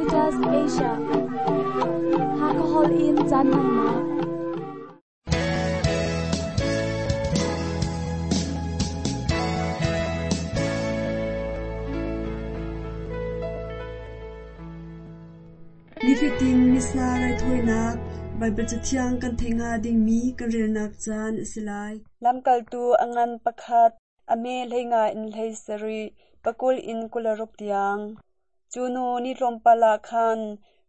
Adventist Asia. Hakahol in caan hmannak. Nifatin Missa raithawinak Baibal Cathiang kan theih hnga dingmi kan relnak caan a si lai. Lamkaltu a ngan pakhat, a me 15 in 17, 20 in 26 tiang. Cu hnu ni tlawmpal ah khan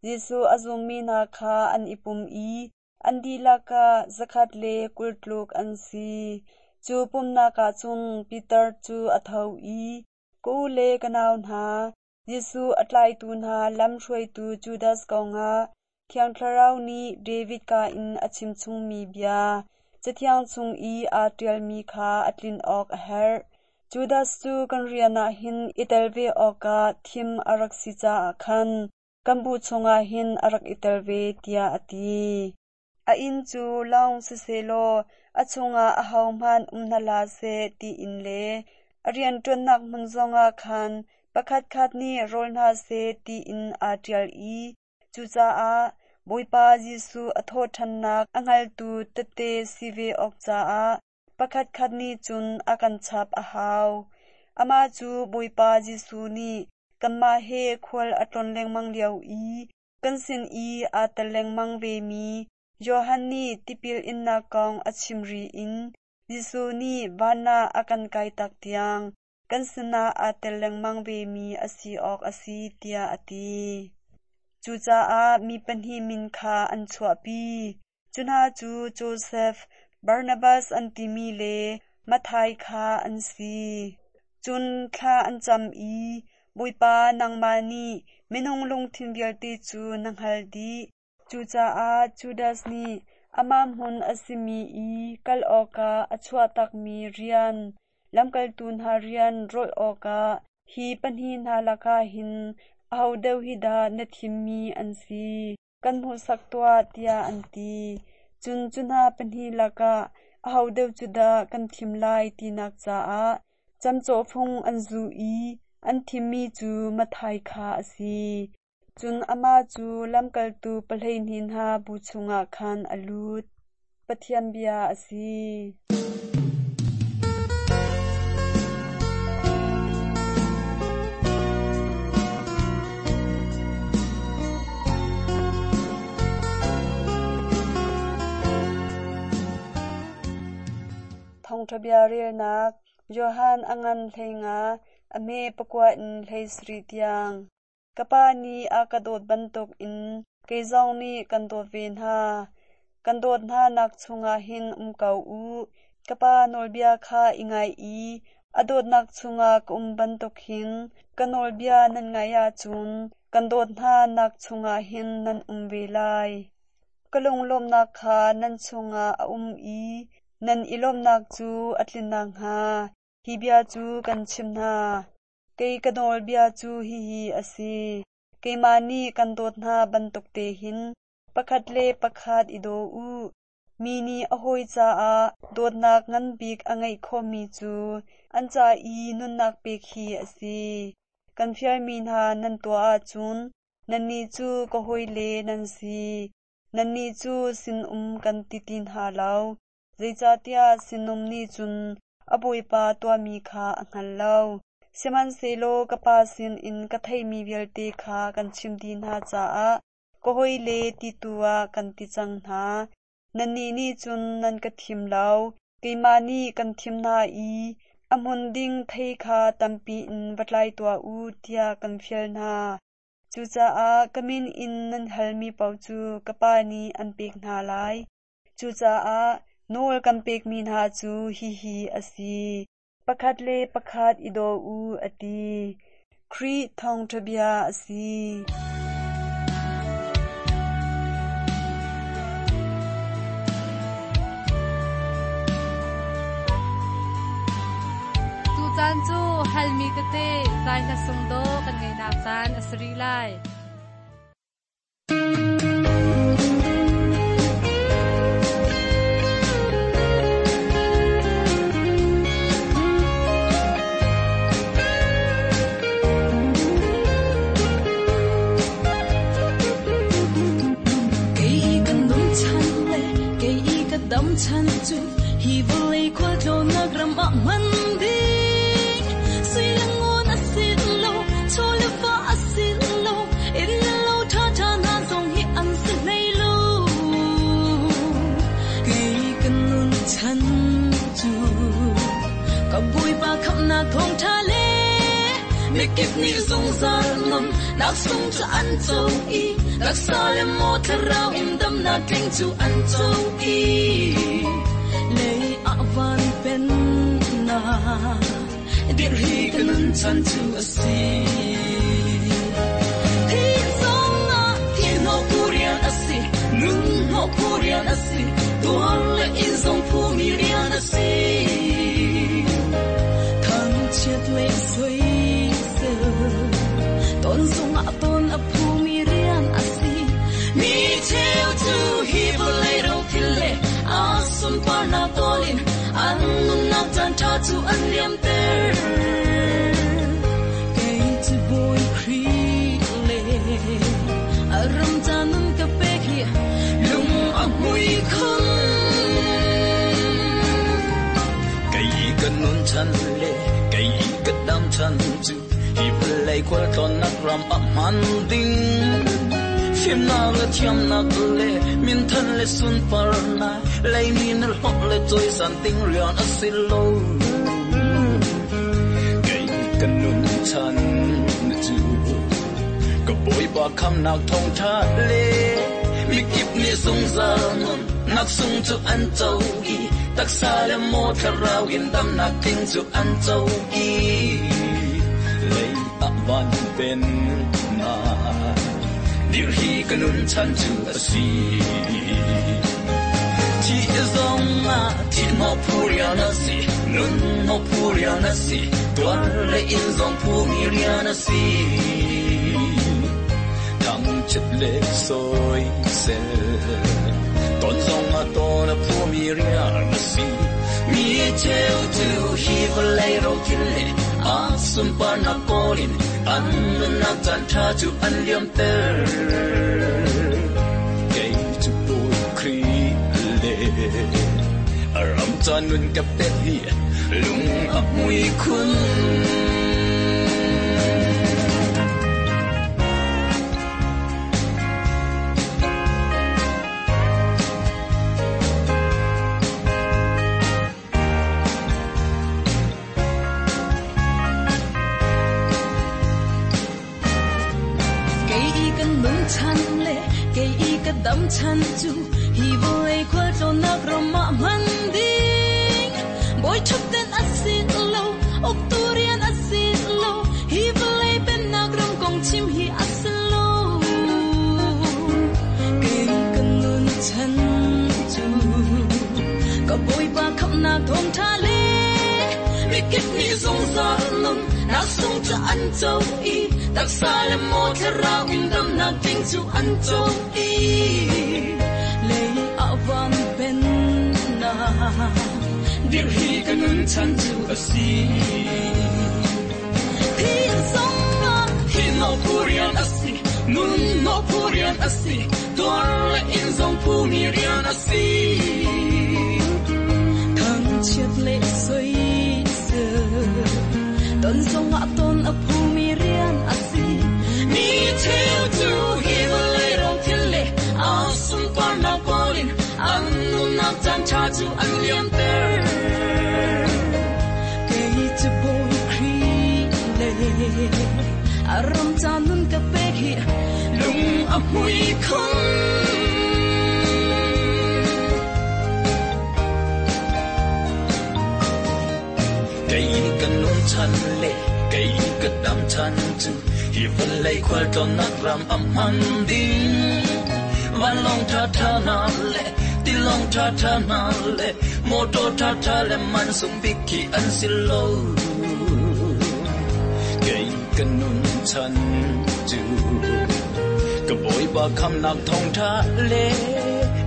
Jesuh a zummi hna kha an i pum i an dihlak ah 120 tluk an si. Cu pumhnak ah cun Peter cu a tho i, Ka u le ka nau hna, Jesuh a tlaitu hna lamhruaitu Judas kongah Thiang Thlarau nih David ka in a chimchungmi bia, Cathiang chung i aa ṭialmi kha a tlin awk a herh. Judas cu kan rian ah hin i tel ve awkah thim a rak si caah khan kan bu chungah hin a rak i tel ve, tiah a ti. A inn cu lawng sisehlaw a chungah ahohmanh um hna hlah seh tiin le a rianṭuannak hmun zongah khan pakhatkhat nih rawl hna seh tiin aa ṭial i cucaah Bawipa Jesuh a thawhṭhannak a hngaltu tehte si ve awk caah pakhatkhat nih cun a kan chap a hau. Amah cu Bawipa Jesuh nih kanmah he khual a tlawn lengmang lio i kan sin i aa tel lengmang vemi Johan nih tipil innak kong a chim ri in Jesuh nih van ah a kan kaitak tiang kan sinah aa tel lengmang vemi a si awk a si, tiah a ti. Cucaah mi pahnih min kha an chuahpi. Cu hna cu Josef, Barnabas an timi le Matthai kha an si. Cun thla an cam i, Bawipa, nangmah nih minung lungthin vialte cu na hngalh dih. Cucaah Judas nih amah hmun a simi i kal awkah a chuahtakmi rian, lamkaltu hna rian rawlh awkah hi pahnih hna lakah hin aho deuh hi dah na thimmi an si? Kan hmuhsak tuah, tiah an ti. Cun cu hna pahnih lakah aho deuh cu dah kan thim lai tinak caah camcawhfung an zuh i an thimmi cu Matthai kha a si. Cun amah cu lamkaltu 12 hna bu chungah khan a lut. Pathian bia a si. Thawngṭha bia relnak Johan a ngan 15, a hme 9 in 17 tiang. Ka Pa nih a ka dawt bantukin kei zong nih kan dawt ve hna. Kan dawt hnanak chungah hin um ko u. Ka Pa nawlbia kha i ngaih i a dawtnak chungah ka um bantuk hin ka nawlbia nan ngaih ahcun kan dawt hnanak chungah hin nan um ve lai. Ka lunglawmhnak kha nan chungah a um i nan i lawmhnak cu a tlin nakhnga hi bia cu kan chimh hna. Kei ka nawlbia cu hihi a si: keimah nih kan dawt hna bantuk te hin pakhat le pakhat i daw u. Mi nih a hawi caah dawtnak ngan bik a ngeih khawhmi cu an ca i nunnak pek hi a si. Kan fialmi hna nan tuah ahcun nannih cu ka hawile nan si. Nannih cu sinum kan ti ti hna lo, zeicahtiah sinum nih cun a bawipa tuahmi kha a hngal lo. Sihmanhsehlaw ka Pa sinin ka theihmi vialte kha kan chim dih hna caah ka hawile ti tu ah kan ti cang hna. Nannih nih cun nan ka thim lo, keimah nih kan thim hna i a hmun ding thei kha tampi in va tlai tuah u tiah kan fial hna. Cucaah ka min in nan halmi paoh cu ka Pa nih an pek hna lai. Cucaah nawl kan pekmi hna cu hihi a si: pakhat le pakhat i daw u, a ti. Khrih thawngṭha bia a si. Tucaan cu halmi tete zai hla sung dawh kan ngeihnak caan a si rih lai. Chan cu hi vawlei khualtlawnnak ram ah hman ding sui le ngun a si lo, chaw le va a si lo, inn le lo ṭhaṭha hna zong hi an si hlei lo. Kei ka nun chan cu ka Bawipa khamhnak thawngṭha le mikip nih zungzal nun nak sung cu an co i taksa le maw thlarau in damnak tling cu an co i lei ah van pennak dir hi ka nun chan cu a si. Thi zongah thi hnawh phu rian a si, nun hnawh phu rian a si, tuar le in zong phumi rian a si. Thangchiat le soisel ton zongah ton a phumi rian a si. Mi cheu cu hi vawlei ro thil le a sunparnak tawlin an nunnak caan ṭha cu an liamter. Kei cu Bawi Khrih le a ram ca nun ka pek hi lung a hmui khun. Kei ka nun chan le kei ka dam chan cu hi vawlei khualtlawnnak ram ah hman ding. Fimnak le thiamnak le minthan le sunparnak leimi na hlawh le cawisan ding rian a si lo. Kei ka nun chan cu ka Bawipa khamnak thawngṭha le mikip nih zungzal nun nak sung cu an co i taksa le maw thlarau in damnak tling cu an co i lei ah van pennak dir hi ka nun chan cu a si. Thi zongah thi hnawh phu rian a si, nun hnawh phu rian a si, tuar le in zong phumi rian a si. Thangchiat le soisel ton zongah ton a phumi rian a si. Mi cheu cu hi vawlei ro thil le a sunparnak kawlin an nunnak caan ṭha cu an liamter. Kei cu Bawi Khrih le a ram ca nun ka pek hi lung a hmui khun. Kei i kan nun chan le kei i ka dam chan cu hi vawlei khualtlawnnak ram ah hman ding. Bawi ṭhutden a si lo, uktu rian a si lo, hi vawlei pennak ram kong chim hi a si lo. Kei ka nun chan cu ka Bawipa khamhnak thawngṭha le mikip nih zungzal nun nak sung cu an co i taksa le maw thlarau in damnak tling cu an co i lei ah van pennak dir hi ka nun chan cu a si. Thi zongah thi hnawh phu rian a si, nun hnawh phu rian a si, tuar le in zong phumi rian a si. Thangchiat le soisel ton zongah ton a phumi rian a si. Mi cheu cu hi vawlei ro thil le a sunparnak kawlin an nunnak caan ṭha cu an liamter. Kei cu Bawi Khrih le a ram ca nun ka pek hi lung a hmui khun. Kei ka nun chan le kei ka dam chan cu hi vawlei khualtlawnnak ram a hman ding. Vanlawng ṭhaṭha hna le tilawng ṭhaṭha hna le motor ṭhaṭha le mansung bik khi an si lo. Kei ka nun chan cu ka Bawipa khamnak thawngṭha le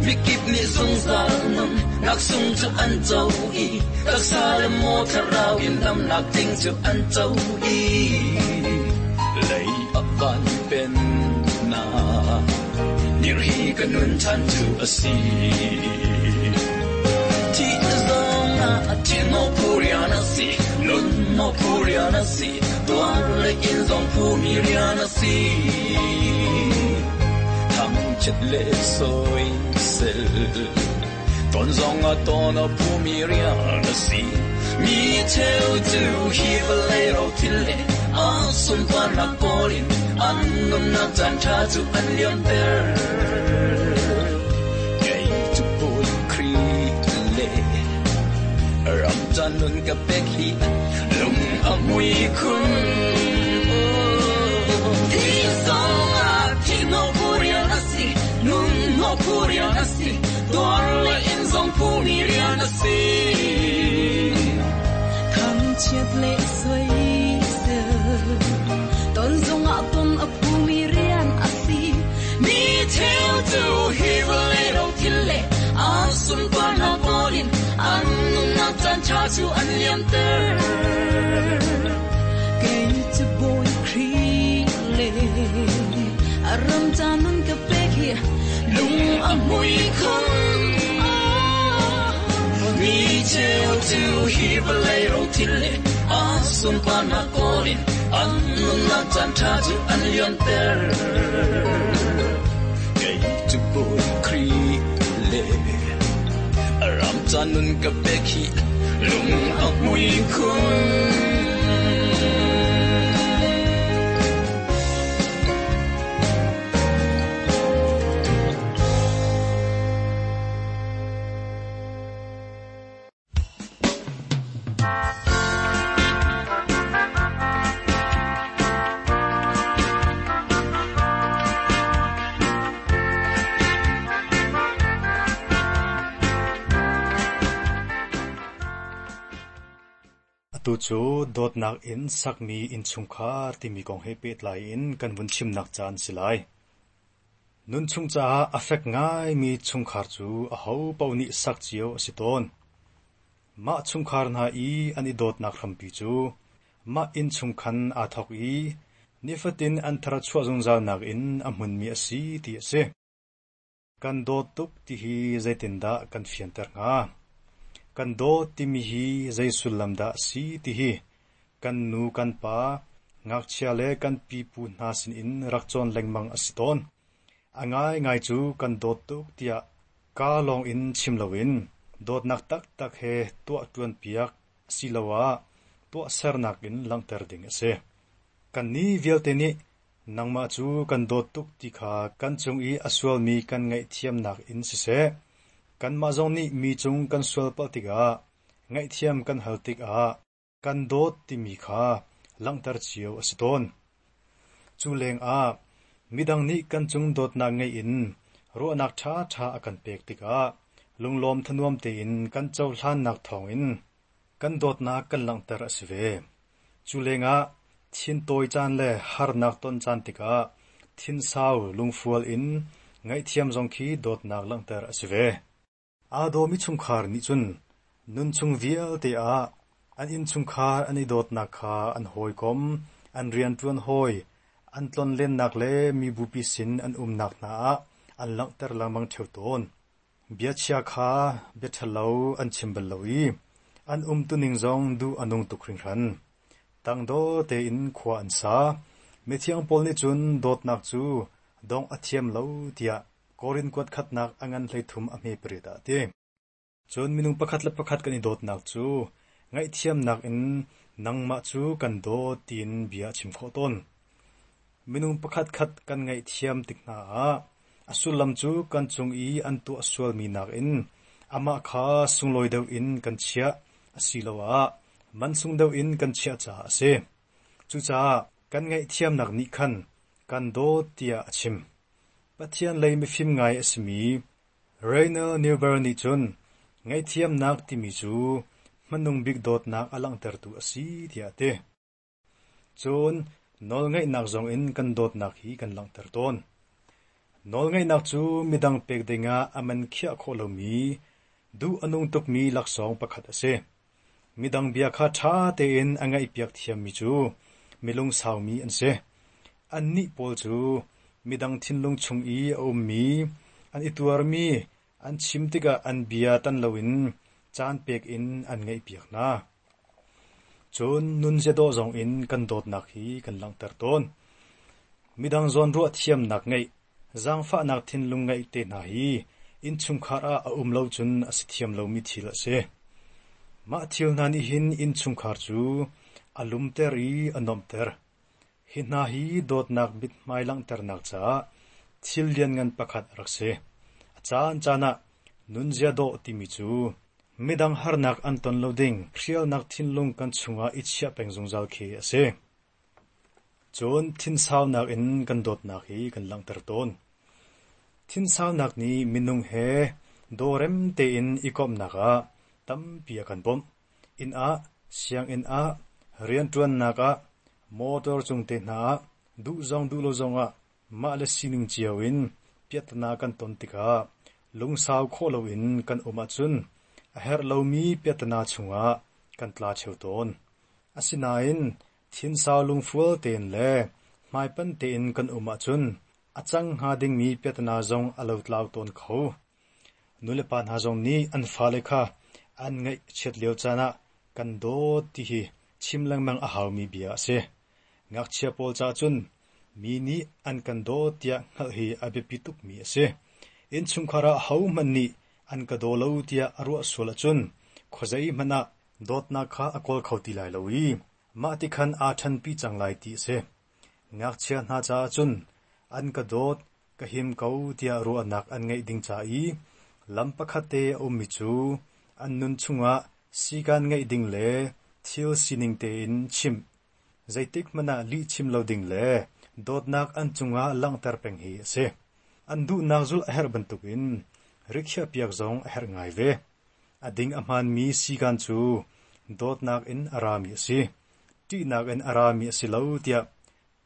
mikip nih zungzal nun nak sung cu an co i taksa le maw thlarau in damnak tling cu an co i lei ah van pennak dir hi ka nun chan cu a si. ah thin o phu rian a si, nun o phu rian a si, tuar le in zong phu mi rian a si. Thangchiat le soisel ton zong ah ton a phu mi rian a si. Mi cheu cu hi vawlei ro thil le a sunparnak kawl in an nunnak caan ṭha cu an liamter. Kei cu Bawi Khrih le ram ca nun ka pek hi lung a hmui khun. Thi zong ah thihhnawh phu rian a si, nun hnawh phu rian a si, tuar le in zong phu mi rian a si. Thangchiat le soisel ton zongah ton a phumi rian a si. Mi cheu cu hi vawlei ro thil le a sunparnak kawl in an nunnak caan ṭha cu an liamter. Kei cu Bawi Khrih le a ram ca nun ka pek hi lung a hmui khun. Mi cheu cu hi vawlei ro thil le a sunparnak kawl in an nunnak caan ṭha cu an liamter. Kei cu Bawi Khrih le a ram ca nun ka pek hi lung a hmui khun. Atu cu dawtnak in sakmi innchungkhar timi kong he pehtlai in kan vun chimnak caan si lai. Nunchung caah a fek ngaimi chungkhar cu ahopaoh nih sak cio a si tawn. Mah chungkhar hna i an i dawtnak hrampi cu mah innchung khan aa thawk i nifatin an tharchuah zungzalnak in a hmunmi a si ti a si. Kan dawt tuk ti hi zeitindah kan fianter hnga? Kan dawt timi hi zei sullam dah a si ti hi kan nu kan pa, ngakchia le kan pipu hna sinin rak cawn lengmang a si tawn. A ngaingai cu kan dawt tuk tiah kaa lawng in chim loin dawtnak taktak he tuah ṭuanpiak asiloah tuahsernak in langhter ding a si. Kannih vialte nih Nangmah cu kan dawt tuk ti kha kan cung i a sualmi kan ngaihthiamnak in siseh, kanmah zong nih mi cung kan sualpalh tikah ngaihthiam kan hal tikah kan dawt timi kha langhter cio a si tawn. Cu lengah midang nih kan cung dawtnak ngeih in ruahnak ṭhaṭha a kan pek tikah lunglawm thanuam tein kan cohlannak thawngin kan dawtnak kan langhter a si ve. Cu lengah thintawi caan le harnak ton caan tikah thinsau lungfual in ngaihthiam zong khi dawtnak langhter a si ve. Aa dawmi chungkhar nih cun nunchung vialte ah an innchungkhar an i dawtnak kha an hawikom, an rianṭuan hawi, an tlonlennak le mibupi sin an umnak hna ah an langhter lengmang ṭheo tawn. Biachia kha bia ṭhalo an chim bal lo i an umtuning zong duh a nung tuk hringhran. Tangdor tein khua an sa. Mithiang Paul nih cun dawtnak cu dongh a thiam lo tiah Korin kuat khatnak a ngan 13 a hme pariat ah a ti. Cun minung pakhat le pakhat kan i dawtnak cu ngaihthiamnak in nangmah cu kan dawt tiin bia a chim khawh tawn. Minung pakhatkhat kan ngaihthiam tik hna ah a sullam cu kan cung i an tuah sualmi nakin amah kha sunglawi deuh in kan chiah asiloah mansung deuh in kan chiah caah a si. Cucaah kan ngaihthiamnak nih khan kan dawt tiah a chim. Pathian lei mifim ngai a simi Rainer Neuber nih cun ngaihthiamnak timi cu hmanung bik dawtnak a langhtertu a si tiah a ti. Cun nawlngaihnak zongin kan dawtnak hi kan langhter tawn. Nawlngaihnak cu midang pek dingah a man khiah khawh lomi, duh a nung tukmi laksawng pakhat a si. Midang bia kha ṭha tein a ngaihpiak thiammi cu mi lungsaumi an si. Annih pawl cu midang thinlung chung i a ummi, an i tuarmi an chim tikah an bia tan loin caan pek in an ngaihpiak hna. Cun nunzia dawh zong in kan dawtnak hi kan langhter tawn. Midang zawnruah thiamnak ngeih, zaangfahnak thinlung ngeih te hna hi innchungkhar ah a um lo cun a si thiam lomi thil a si. Mah thil hna nih hin innchungkhar cu a lumter i a nuamhter. Hi hna hi dawtnak mithmai langhternak caah thil lianngan pakhat a rak si. A caancaan ah nunzia dawh timi cu midang harnak an ton lo ding hrialnak thinlung kan chungah i chiah peng zungzal khi a si. Cun thinsaunak in kan dawtnak hi kan langhter tawn. Thinsaunak nih minung he dawrem tein i komhnak ah tampi a kan bawmh. Inn ah, sianginn ah, rianṭuannak ah, motor cung te hna ah, duh zong duh lo zongah mah le sining cio in piahtana kan ton tikah lungsau khawh loin kan um ahcun a herh lomi piahtana chungah kan tla ṭheo tawn. Asinain thinsau lungfual tein le hmaipanh tein kan um ahcun a cang hnga dingmi piahtana zong a lotlau tawn kho. Nulepa hna zong nih an fale kha an ngaihchiat lio caan ah kan dawt ti hi chim lengmang a haumi bia a si. Ngakchia pawl caah cun mi nih an kan dawt tiah hngalh hi a biapi tukmi a si. Innchungkhar ah hohmanh nih an ka daw lo tiah a ruah sual ahcun khuazei hmanh ah dawtnak kha a kawl kho ti lai lo i mah ti khan aa ṭhenpi cang lai ti a si. Ngakchia hna caah cun an ka dawt, ka him ko tiah ruahnak an ngeih ding ca i lam pakhat te a ummi cu an nun chungah sikan ngeih ding le thil sining tein chimh, zeitik hmanh ah lih chim lo ding le dawtnak an cungah langhter peng hi a si. An duhnak zulh a herh bantukin rikhiahpiak zong a herh ngai ve. A ding a hmaanmi sikan cu dawtnak in a rami a si. Ṭihnak in a rami a si lo tiah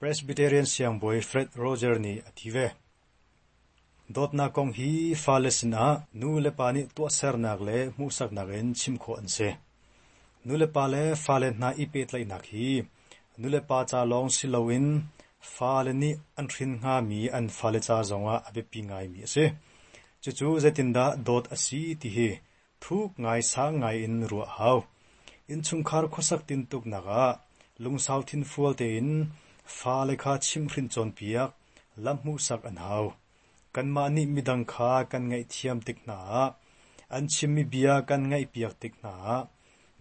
Presbyterian siangbawi Fred Roger nih a ti ve. Dawtnak kong hi fale sinah nu le pa nih tuahsernak le hmuhsaknak in chim khawh an si. Nu le pa le fale hna i pehtlaihnak hi nu le pa ca lawng si loin fale nih an hrin hngami an fale ca zongah a biapi ngaimi a si. Cucu zeitindah dawt a si ti hi Thuk ngai sang ngai in ruah a hau. Innchungkhar khuasak tintuknak ah lungsau thinfual tein fale kha chimhhrinh cawnpiak, lam hmuhsak an hau. Kanmah nih midang kha kan ngaihthiam tik hna ah, an chimmi bia kan ngaihpiak tik hna ah,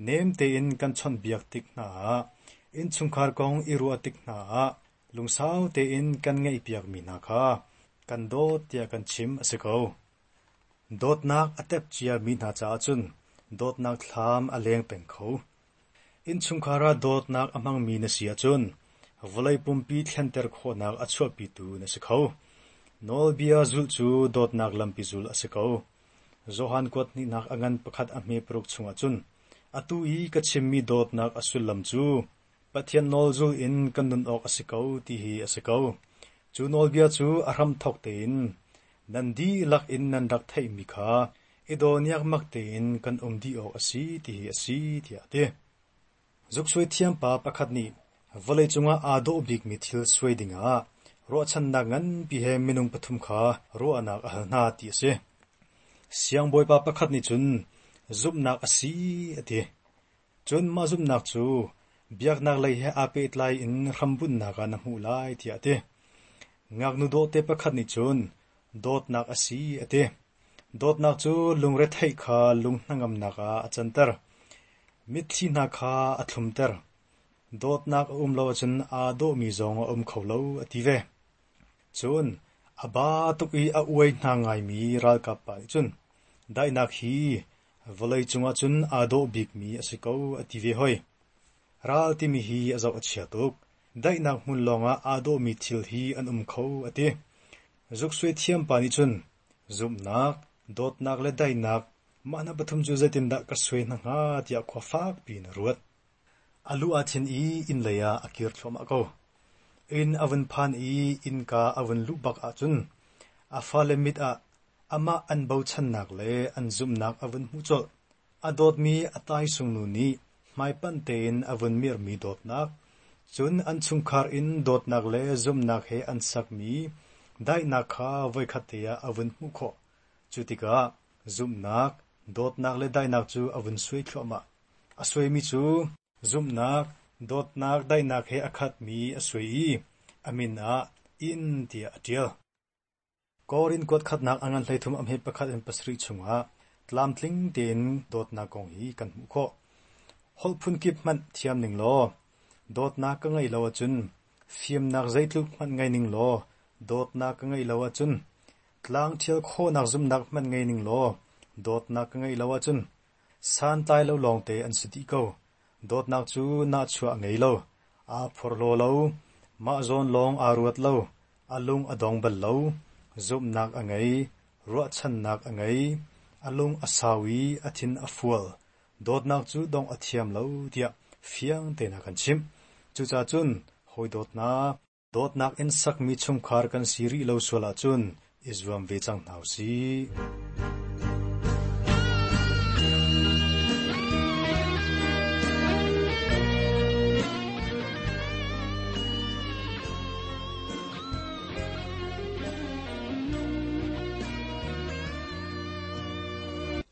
nem tein kan chawnhbiak tik hna ah, innchungkhar kong i ruah tik hna ah lungsau tein kan ngaihpiakmi hna kha kan dawt tiah kan chim a si ko. Dawtnak a tep ciami hna caah cun dawtnak thlam a leng peng kho. Innchungkhar ah dawtnak a hmangmi na si ahcun vawlei pumpi thlenter khawhnak a chuahpitu na si kho. Nawlbia zulh cu dawtnak lampi zulh a si ko. Johan kuat hnihnak a ngan pakhat a hme paruk chungah cun atu i ka chimmi dawtnak a sullam cu Pathian nawl zul in kan nun awk a si ko ti hi a si ko. Cu nawlbia cu a hramthawk tein nan dihlak in nan rak theihmi kha i daw niakmak tein kan um dih awk a si ti hi a si, tiah a ti. Zuksuai thiampa pakhat nih vawleicung ah aa dawh bikmi thil suai dingah ruahchannak nganpi he minung pathum kha ruahnak a hal hna ti a si. Siangbawipa pakhat nih cun zumhnak a si a ti. Cun mah zumhnak cu biaknak lei he aa pehtlai in hrambunhnak ah na hmuh lai tiah a ti. Ngaknu dawhte pakhat nih cun dawtnak a si a ti. Dawtnak cu lungretheih kha lung hnangamnak ah a canter. Mitthli hna kha a thlumter. Dawtnak a um lo ahcun aa dawhmi zong a um kho lo a ti ve. Cun a ba tuk i a uai hna ngaimi ralkap pa nih cun daihnak hi Vawleicung ah cun aa dawh bikmi a si ko a ti ve hoi. Ral timi hi a zoh a chia tuk. Daihnak hmun lawngah aa dawhmi thil hi an um kho a ti. Zuksuai thiampa nih cun zumhnak, dawtnak le daihnak mah hna pathum cu zeitindah ka suai hna hnga tiah khua fakpi in a ruat. A lu aa thin i inn lei ah a kir thluahmah ko. Inn a vun phan i innka a vun luh bak ahcun a fale mit ah Amah an bochannak le an zumhnak a vun hmuh colh. A dawtmi a taisung nu nih hmaipanh tein a vun mirhmi dawtnak, cun an chungkhar in dawtnak le zumhnak he an sakmi daihnak kha voikhat te ah a vun hmuh khawh. Cu tikah zumhnak, Dawtnak le daihnak cu a vun suai thluahmah. A suaimi cu zumhnak, dawtnak, daihnak he a khatmi a suai i a min ah inn tiah a ṭial. Korin kuat khatnak a ngan 13 a hme pakhat in pasarih chungah tlamtling tein dawtnak kong hi kan hmuh khawh. Holh phunkip hmanh thiam ning law, dawtnak ka ngeih lo ahcun, fimnak zeitluk hmanh ngei ning law, dawtnak ka ngeih lo ahcun, tlang ṭhial khawhnak zumhnak hmanh ngei ning law, dawtnak ka ngeih lo ahcun, santlai lo lawngte an si dih ko. Dawtnak cu nahchuah a ngei lo, aa phorhlaw lo, mah zawn lawng aa ruat lo, a lung a dong bal lo, zumhnak a ngei, ruahchannak a ngei, a lung a sau i a thin a fual, dawtnak cu dongh a thiam lo tiah fiang tein a kan chimh. Cucaah cun hawi dawtnak, dawtnak in sakmi chungkhar kan si rih lo sual ahcun i zuam ve cang hna u sih.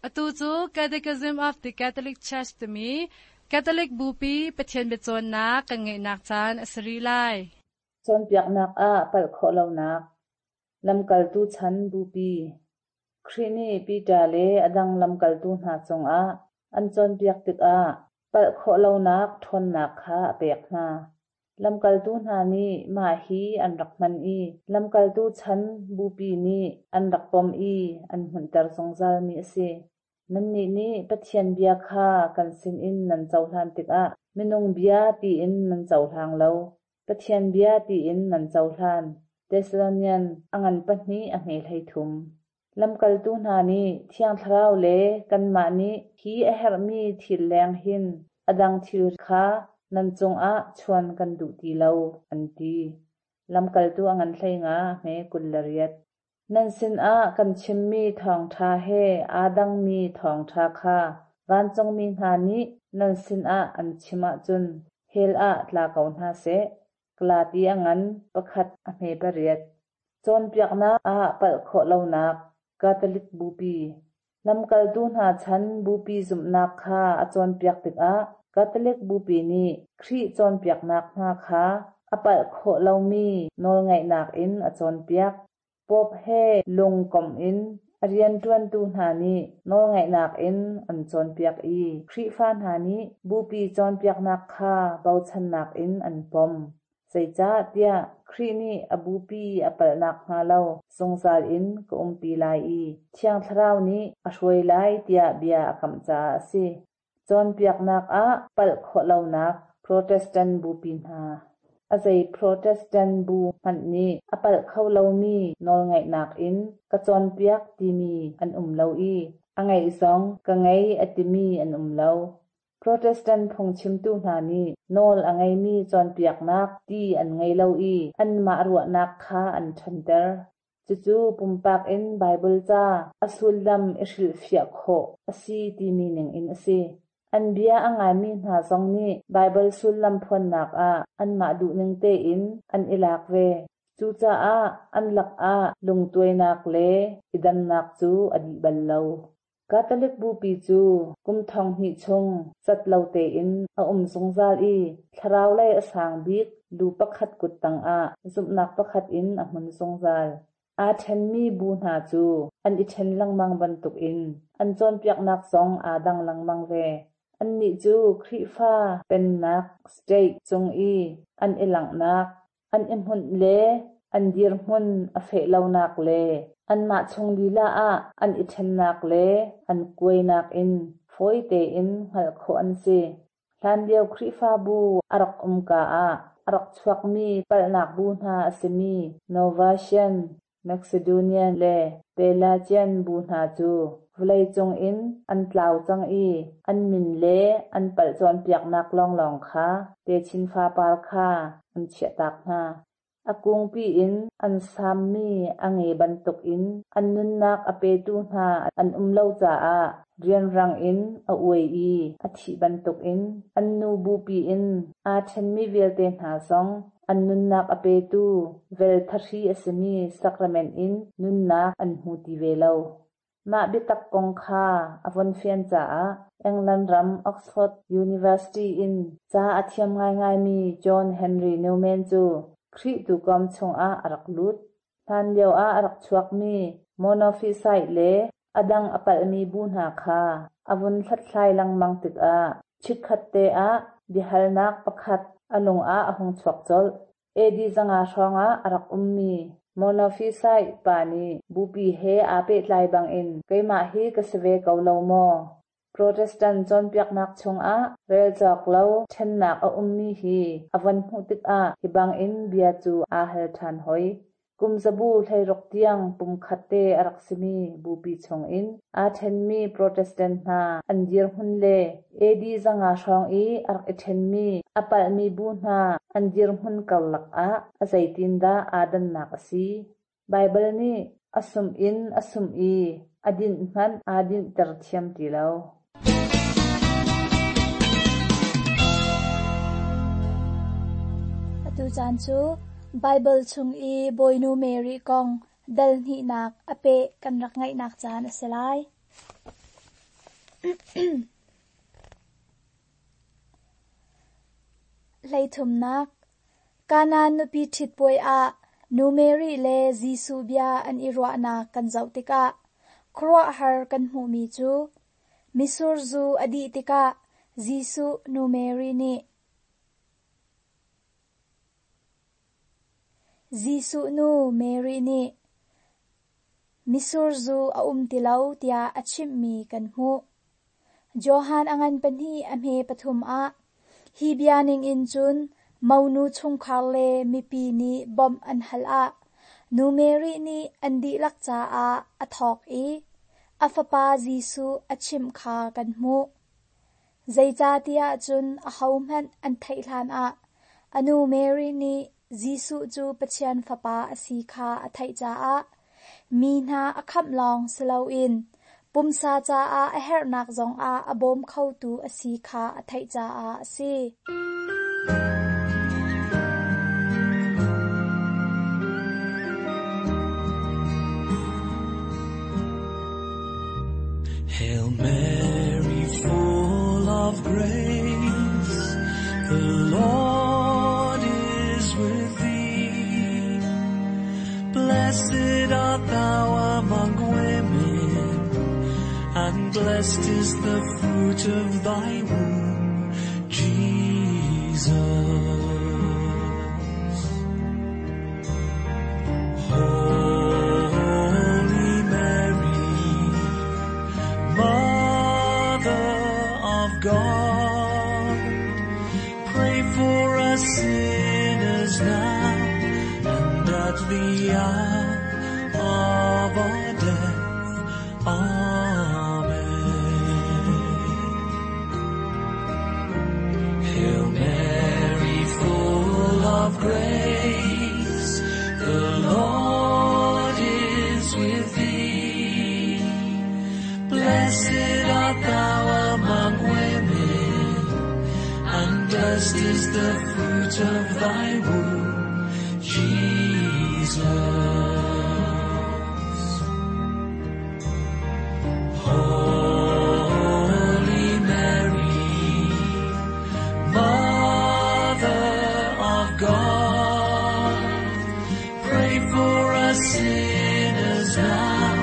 Atu cu Catechism of the Catholic Church timi Catholic Bupi Pathian biacawnnak kan ngeihnak caan a si rih lai. Cawnpiaknak ah palh khawh lonak Lamkaltu chan Bupi Khrih nih Peter le a dang lamkaltu hna cungah an cawnpiak tikah palh khawh lonak ṭhawnnak kha a pek hna. Lamkaltu hna nih mah hi an rak hman i lamkaltu chan Bupi nih an rak pom i an hmunhter zungzalmi a si. Nannih nih Pathian bia kha kan sinin nan cohlan tikah minung bia tiin nan cohlang lo, Pathian bia tiin nan cohlan. Thessalonian a ngan pahnih a hme 13. Lamkaltu hna nih Thiang Thlarau le kanmah nih hi a herhmi thil leng hin a dang thil kha nan cungah chuan kan duh ti lo, an ti. Lamkaltu a ngan 15 a hme 28. Nan sinah kan chimmi thawngṭha he aa dangmi thawngṭha kha vancungmi hna nih nan sinah an chim ahcun hell ah tla ko hna seh. Galati a ngan pakhat a hme pariat. Cawnpiaknak ah palh khawh lonak Catholic Bupi Lamkaltu hna chan Bupi zumhnak kha a cawnpiak tikah Catholic Bupi nih Khrih cawnpiaknak hna kha a palh khawh lomi nawlngaihnak in a cawnpiak. Pope he lungkomh in a rianṭuantu hna nih nawlngaihnak in an cawnpiak i Khrihfa hna nih Bupi cawnpiaknak kha bochannak in an pom. Zeicahtiah Khrih nih a Bupi a palh nakhnga lo zungzal in ka umpi lai i Thiang Thlarau nih a hruai lai tiah bia a kamh caah a si. Cawnpiaknak ah palh khawh lonak Protestant bupi hna. A zei Protestant bu hmanh nih a palh kho lomi nawlngaihnak in ka cawnpiak timi an um lo i a ngeih zong ka ngei a timi an um lo. Protestant phungchimtu hna nih nawl a ngeimi cawnpiaknak ti an ngei lo i anmah ruahnak kha an ṭhanter. Cucu pumpak in Baibal ca a sullam i hrilhfiah khawh a si timi ningin a si. An bia a ngaimi hna zong nih Baibal sullam phuannak ah anmah duhning tein an i lak ve. Cucaah an lakah lungtuainak le i dannak cu a dih bal lo. Catholic Bupi cu kum 2000 chung cat lo tein a um zungzal i thlarau lei a sang bik lu pakhat kut tangah zumhnak pakhat in a hmun zungzal. Aa ṭhenmi bu hna cu an i ṭhen lengmang bantukin an cawnpiaknak zong aa dang lengmang ve. Annih cu Khrihfa pennak state cung i an i langhnak an i hmunh le an dirhmun a feh lonak le anmah chung lila ah an i ṭhennak le an kuainak in fawi tein hngalh khawh an si. Hlanlio Khrihfabu a rak umka ah a rak chuakmi palhnak bu hna a simi Novatian, Macedonian le Pelagian bu hna cu vawleicung in an tlau cang i an min le an palh cawnpiaknak lawnglawng kha techin fapar kha an chiahtak hna. A kungpi in an sammi a nge bantukin an nunnak a petu hna an um lo caah rianrang in a uai i a thih bantukin an nu bupi in aa ṭhenmi vialte hna zong An nunnak a petu vel thahri a simi sacrament in nunnak an hmu ti ve lo. Mah biatak kong kha a von fian caah England ram Oxford University in ca a thiam ngaingaimi John Henry Newman cu Khrih tuukawm chungah a rak lut. Hlanlio ah a rak chuakmi Monophysite le a dang a palhmi bu hna kha a vun hlathlai lengmang tikah chikkhatte ah biahalnak pakhat a lung ah a hung chuak colh. AD 500 hrawngah a rak ummi Monophysite pa nih bupi he aa pehtlai bangin keimah hi ka si ve ko lo maw? Protestant cawnpiaknak chungah rel cawk lo ṭhennak a ummi hi a von hmuh tikah hi bangin bia cu aa hal ṭhan hoi. Kum zabu 16 tiang pumkhat te a rak simi bupi chungin aa ṭhenmi Protestant hna an dirhmun le AD 500 hrawng i a rak i ṭhenmi a palhmi bu hna an dirhmun karlak ah a zeitindah aa dannak a si? Baibal nih a sumh in a sumh i a dinh hmanh aa dinhter thiam ti lo. Atu caan cu Baibal chung i Bawinu Mary kong dal hnihnak a peh kan rak ngaihnak caan a si lai. Hleithumnak Kanaan nupi ṭhit puai ah Nu Mary le Jesuh bia an i ruahnak kan zoh tikah khuaruahhar kan hmuhmi cu mitsur zu a dih tikah Jesuh nu Mary nih Jesuh nu Mary nih mitsur zu a um ti lo tiah a chimhmi kan hmuh. Johan a ngan pahnih a hme pathum ah hi bia ningin cun monu chungkhar le mipi nih bawmh an hal ah Nu Mary nih an dihlak caah a thawk i a fapa Jesuh a chimh kha kan hmuh. Zeicahtiah cun ahohmanh an theih hlanah a nu Mary nih Jesuh cu Pathian Fapa a si kha a theih caah mi hna a khamh lawng si loin pumsa caah a herhnak zongah a bawm khotu a si kha a theih caah a si. Hail Mary, full of grace, the Lord is with thee. Blessed art thou among women, and blessed is the fruit of thy womb, Jesus. Holy Mary, Mother of God, pray for us sinners now and at the hour of our death. Amen. Hail Mary, full of grace, the Lord is with thee. Blessed art thou among women, and blessed is the fruit of thy womb, Jesus. Holy Mary, Mother of God, pray for us sinners now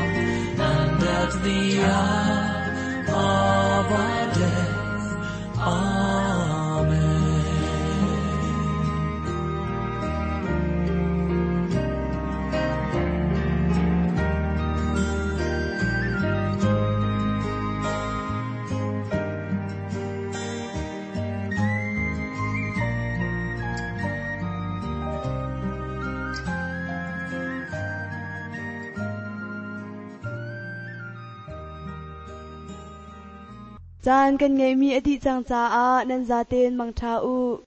and at the hour of our death. Amen. Caan kan ngeihmi a dih cang caah nan zaten mangṭha u.